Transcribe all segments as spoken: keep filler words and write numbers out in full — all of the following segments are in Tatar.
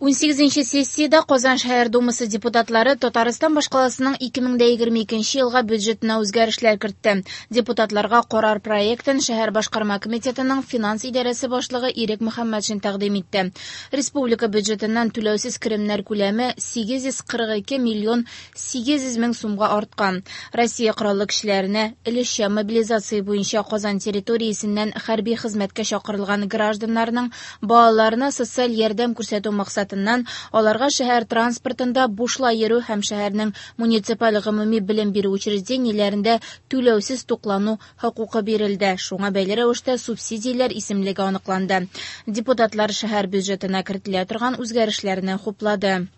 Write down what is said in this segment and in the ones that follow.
Унсигезенче сессиядә Казан шәһәр думасы депутатлары Татарстан башкаласының ике мең дә егерме икенче елга бюджетына үзгәрешләр кертте. Депутатларга карар проектын шәһәр башкарма комитетының финанс идарәсе башлыгы Ирек Мөхәммәтшин тәкъдим итте. Республика бюджетыннан түләүсез керемнәр күләме сигез йөз кырык ике миллион сигез йөз мең сумга арткан. Россия Кораллы көчләренә өлешчә мобилизация буенча Казан территориясеннән хәрби хезмәткә чакырылган гражданнарның балаларына социаль ярдәм күрсәтү максатыннан аларга шәһәр транспортында бушлай йөрү һәм шәһәрнең муниципаль гомуми белем бирү учреждениеләрендә түләүсез туклану хокукы бирелде. Шуңа бәйле рәвештә субсидияләр исемлеге аныкланды. Депутатлар шәһәр бюджетына кертелә торган үзгәрешләрне хуплады.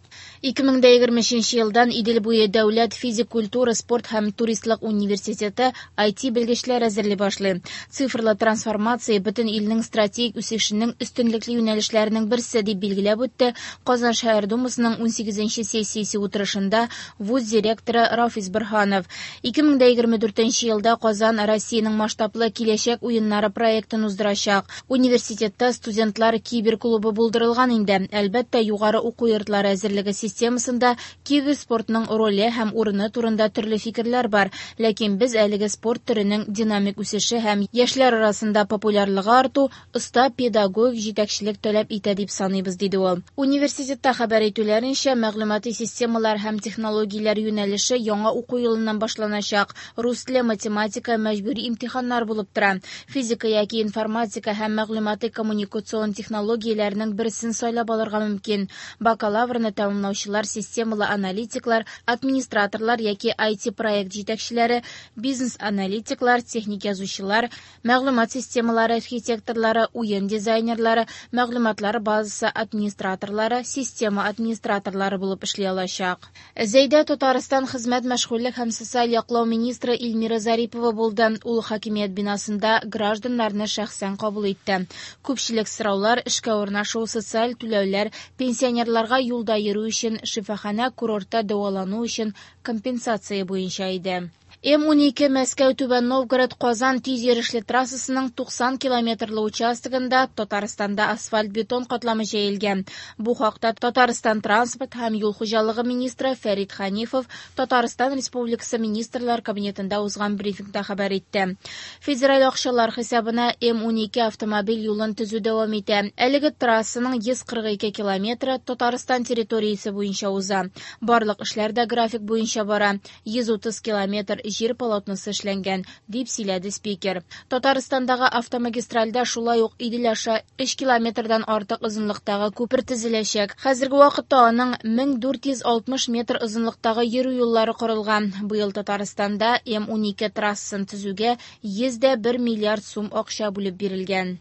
Ике мең дә егерме өченче елдан Идел буе дәүләт физик культура, спорт һәм туристлык университеты ай ти белгечләр әзерли башлый. Цифрлы трансформация бөтен илнең стратегик үсешенең өстенлекле юнәлешләренең берсе дип билгеләп үтте Казан шәһәр думасының унсигезенче сессиясе утырышында вуз директоры Рафис Борһанов. Ике мең дә егерме дүртенче елда Казан Россиянең масштаблы киләчәк уеннары проектын уздырачак. Университетта студентлар киберклубы булдырылган инде. Әлбәттә, югары уку йортлары әзерлеге системасында киберспортның роле һәм урыны турында төрле фикерләр бар, ләкин без әлеге спорт төренең динамик үсеше һәм яшьләр арасында популярлыгы арту оста педагогик җитәкчелек таләп итә дип саныйбыз, диде ул. Университетта хәбәр итүләренчә, мәгълүмати системалар һәм технологияләр юнәлеше яңа уку елыннан башланачак. Рус теле, математика мәҗбүри имтиханнар булып тора. Физика яки информатика һәм мәгълүмати коммуникацион технологияләрнең берсен сайлап алырга мөмкин. Бакалаврны тәмамлаучылар, системалы аналитиклар, администраторлар яки ай ти проект җитәкчеләре, бизнес-аналитиклар, техник язучылар, мәгълүмат системалары архитекторлары, уен дизайнерлары, мәгълүматлар базасы администраторлары, система администраторлары булып эшли алачак. Зәйдә Татарстан хезмәт, мәшгульлек һәм социаль яклау министры Эльмира Зарипова булды. Ул хакимият бинасында гражданнарны шәхсән кабул итте. Күпчелек сораулар эшкә урнашу, социаль түләүләр, пенсионерларга юлда йөрү өчен, шифаханә, курортта дәвалану өчен компенсация буенча иде. М унике Мәскәү Түбән Новгород Казан тиз йөрешле трассасының туксан километрлы участогында Татарстанда асфальт-бетон катламы җәелгән. Бу хакта Татарстан транспорт һәм юл хуҗалыгы министры Фәрит Ханифов Татарстан Республикасы Министрлар Кабинетында узган брифингта хәбәр итте. Федераль акчалар хисабына М унике автомобиль юлын төзү дәвам итә. Әлеге трассаның йөз кырык ике километры Татарстан территориясе буенча уза. Барлык эшләр дә график буенча бара. Йөз утыз километр җир полотносы эшләнгән, дип сөйләде спикер. Татарстандагы автомагистральдә шулай ук Идел аша өч километрдан артык озынлыктагы күпер төзеләчәк. Хәзерге вакытта аның мең дүрт йөз алтмыш метр озынлыктагы йөрү юллары корылган. Быел Татарстанда М унике трассасын төзүгә йөз дә бер миллиард сум акча бүлеп бирелгән.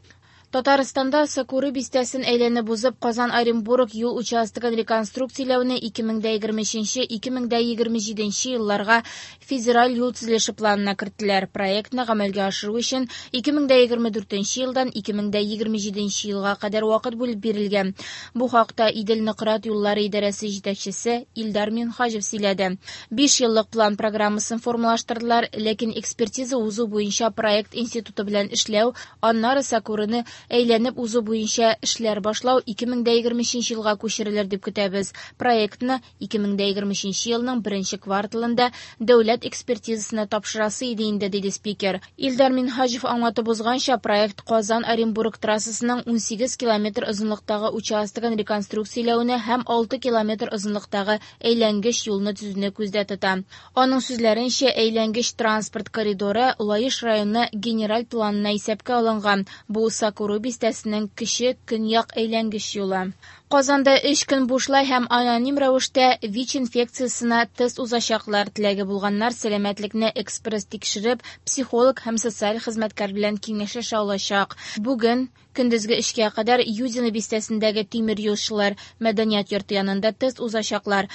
Татарстанда Сокуры бистәсен әйләнеп узып Казан-Оренбург юл участогын реконструкцияләүне ике мең дә егерме өченче, ике мең дә егерме җиденче елларга федераль юл төзелеше планына керттеләр. Проектны гамәлгә ашыру өчен ике мең дә егерме дүртенче елдан ике мең дә егерме җиденче елга кадәр вакыт бүлеп бирелгән. Бу хакта Идел Нократ юллары идарәсе җитәкчесе Илдар Минһаҗев сөйләде. Биш еллык план программасын формалаштырдылар, ләкин экспертиза узу буенча проект институты белән эшләү, аннары Сокурыны әйләнеп узу буенча эшләр башлау ике мең дә егерме өченче елга күчерелер дип көтәбез. Проектны ике мең дә егерме өченче елның беренче кварталында дәүләт экспертизасына тапшырасы иде инде, диде спикер. Илдар Минһаҗев аңлатып узганча, проект Казан-Оренбург трассасының унсигез километр озынлыктагы участогын реконструкцияләүне һәм алты километр озынлыктагы әйләнгеч юлны төзүне күздә тота. Аның сүзләренчә, әйләнгеч транспорт коридоры Лаеш районы генераль планына исәпкә алынган. Бу Сокуры бистәсенең кече көньяк әйләнгеч юлы. Казанда өч көн бушлай һәм аноним рәвештә ВИЧ инфекциясенә тест узачаклар. Теләге булганнар сәламәтлекне экспресс тикшереп, психолог һәм социаль хезмәткәр белән киңәшләшә алачак. Бүген көндезге эшкә кадәр Юдино бистәсендәге тимер юлчылар мәдәният йорты янында тест узачаклар.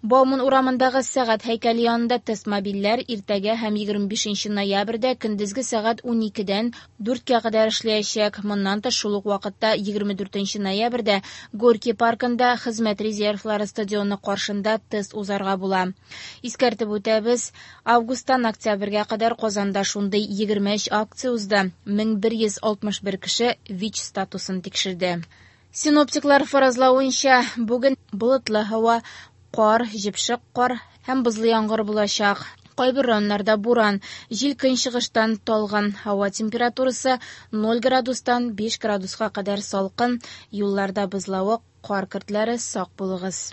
Бауман урамындагы сәгать һәйкәле янында тест мобильләр иртәгә һәм егерме бишенче ноябрьдә көндезге сәгать уникедән дүрткә кадәр эшләячәк. Моннан тыш шул ук вакытта егерме дүртенче ноябрьдә Горький паркында хезмәт резервлары стадионы каршында тест узарга була. Искәртеп үтәбез, августтан октябрьгә кадәр Казанда шундый егерме өч акция узды. Мең бер йөз алтмыш бер кеше ВИЧ статусын тикшерде. Синоптиклар фаразлавынча, бүген болытлы һава, кар, җепшек кар һәм бозлы яңгыр булачак. Кайбер районнарда буран, җил көнчыгыштан талгын, һава температурасы ноль градустан биш градуска кадәр салкын, юлларда бозлавык, кар көртләре, сак булыгыз.